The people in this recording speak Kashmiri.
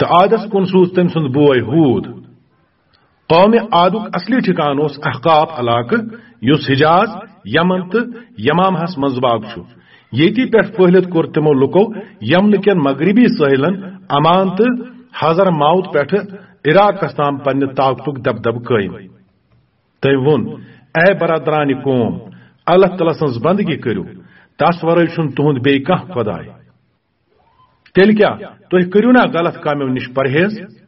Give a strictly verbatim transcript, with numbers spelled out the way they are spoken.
تہٕ عادس کُن سوٗز تٔمۍ سُنٛد بوے ہوٗد۔ قومِ عادُک اصلی ٹھکان اوس احقاف علاقہٕ، یُس حجاز، یمن تہٕ یمامہس منٛز واقع چھُ۔ ییٚتی پٮ۪ٹھ پھٔہلِتھ کوٚر تِمو لُکو یمنہٕ کٮ۪ن مغربی سٲحلن عمان تہٕ حضر موت پٮ۪ٹھٕ عراقس تام پننہِ طاقتُک دبدبہٕ قٲیِم۔ تٔمۍ ووٚن، "اے برادرانہِ قوم، اللہ تعالیٰ سٕنٛز بندگی کٔرِو، تس ورٲے چھُنہٕ تُہُنٛد بیٚیہِ کانٛہہ خۄداے۔ تیٚلہِ کیٛاہ، تُہۍ کٔرِو نا غلط کامیو نِش پرہیز؟"